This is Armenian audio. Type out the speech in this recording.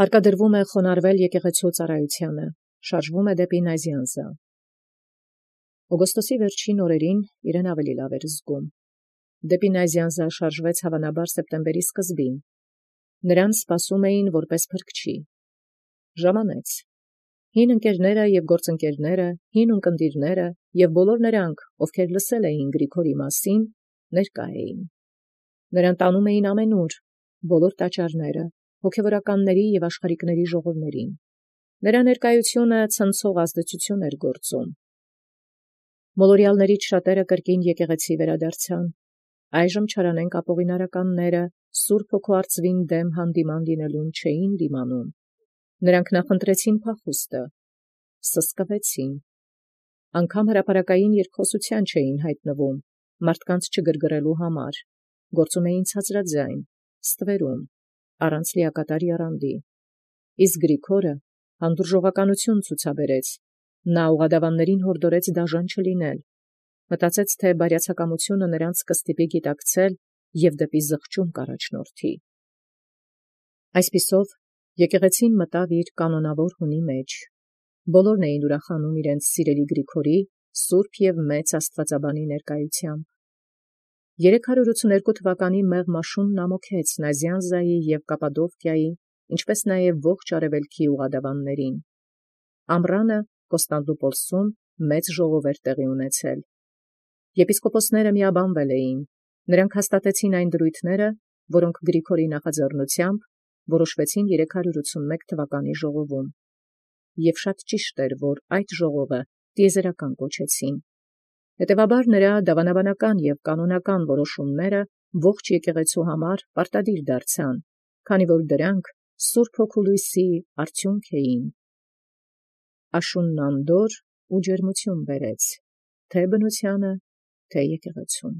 Հարկադրվում է խոնարհվել եկեղեցու ծառայութիւնը, շարժվում է դեպի Նազյանզա։ Օգոստոսի վերջին օրերին իրեն ավելի լավ էր զգում։ Դեպի Նազյանզա շարժվեց հավանաբար սեպտեմբերի սկզբին։ Նրան սպասում էին որպես փրկչի։ Ժամանեց։ Հին ընկերները եւ գործընկերները, հին ունկնդիրները եւ բոլոր նրանք, ովքեր լսել էին Գրիգորի մասին, ներկա էին։ Նրան տանում էին ամենուր, բոլոր տաճարները, հոգևորականների եւ աշխարհիկների ժողովներին։ Նրա ներկայությունը ցնցող ազդեցություն էր գործում։ Մոլորյալներից շատերը կրկին եկեղեցի վերադարձան։ Այժմ չարանենք ապօղինարականները Սուրբ Հոգու արծվին դեմ հանդիման լինելուն չէին դիմանում։ Նրանք նախընտրեցին փախուստը, սսկվեցին, անգամ հրապարակային երկխոսության չէին հայտնվում, մարդկանց չգրգռելու համար, գործում էին ցածրաձայն, ստվերում, առանց լիակատար եռանդի։ Իսկ Գրիգորը հանդուրժողականություն ցուցաբերեց, նա ուղղադավաններին հորդորեց դաժան չլինել, մտածեց, թե բարյացակամությունը նրանց կստիպի գիտակցել եւ դեպի զղջում կառաջնորդի։ Այսպիսով եկեղեցին մտավ իր կանոնավոր հունի մեջ։ Բոլորն էին ուրախանում իրենց սիրելի Գրիգորի սուրբ եւ մեծ աստվածաբանի ներկայությամբ։ 382 թվականի մեղմ աշունն ամոքեց Նազյանզայի եւ Կապադովկիայի, ինչպես նաեւ ողջ արևելքի ուղղադավաններին։ Ամռանը Կոստանդնուպոլսում մեծ ժողով էր տեղի ունեցել։ Եպիսկոպոսները միաբանվել էին։ Նրանք հաստատեցին այն դրույթները, որոնք Գրիգորի նախաձեռնությամբ որոշվեցին 381 թվականի ժողովում։ Եվ շատ ճիշտ էր, որ այդ ժողովը տիեզերական կոչեցին։ Հետևաբար նրա դավանաբանական եւ կանոնական որոշումները ողջ եկեղեցու համար պարտադիր դարձան, քանի որ դրանք Սուրբ Հոգու լույսի արդյունք էին։ Աշունն անդորր ու ջերմություն բերեց, թե բնությանը, թե եկեղեցուն։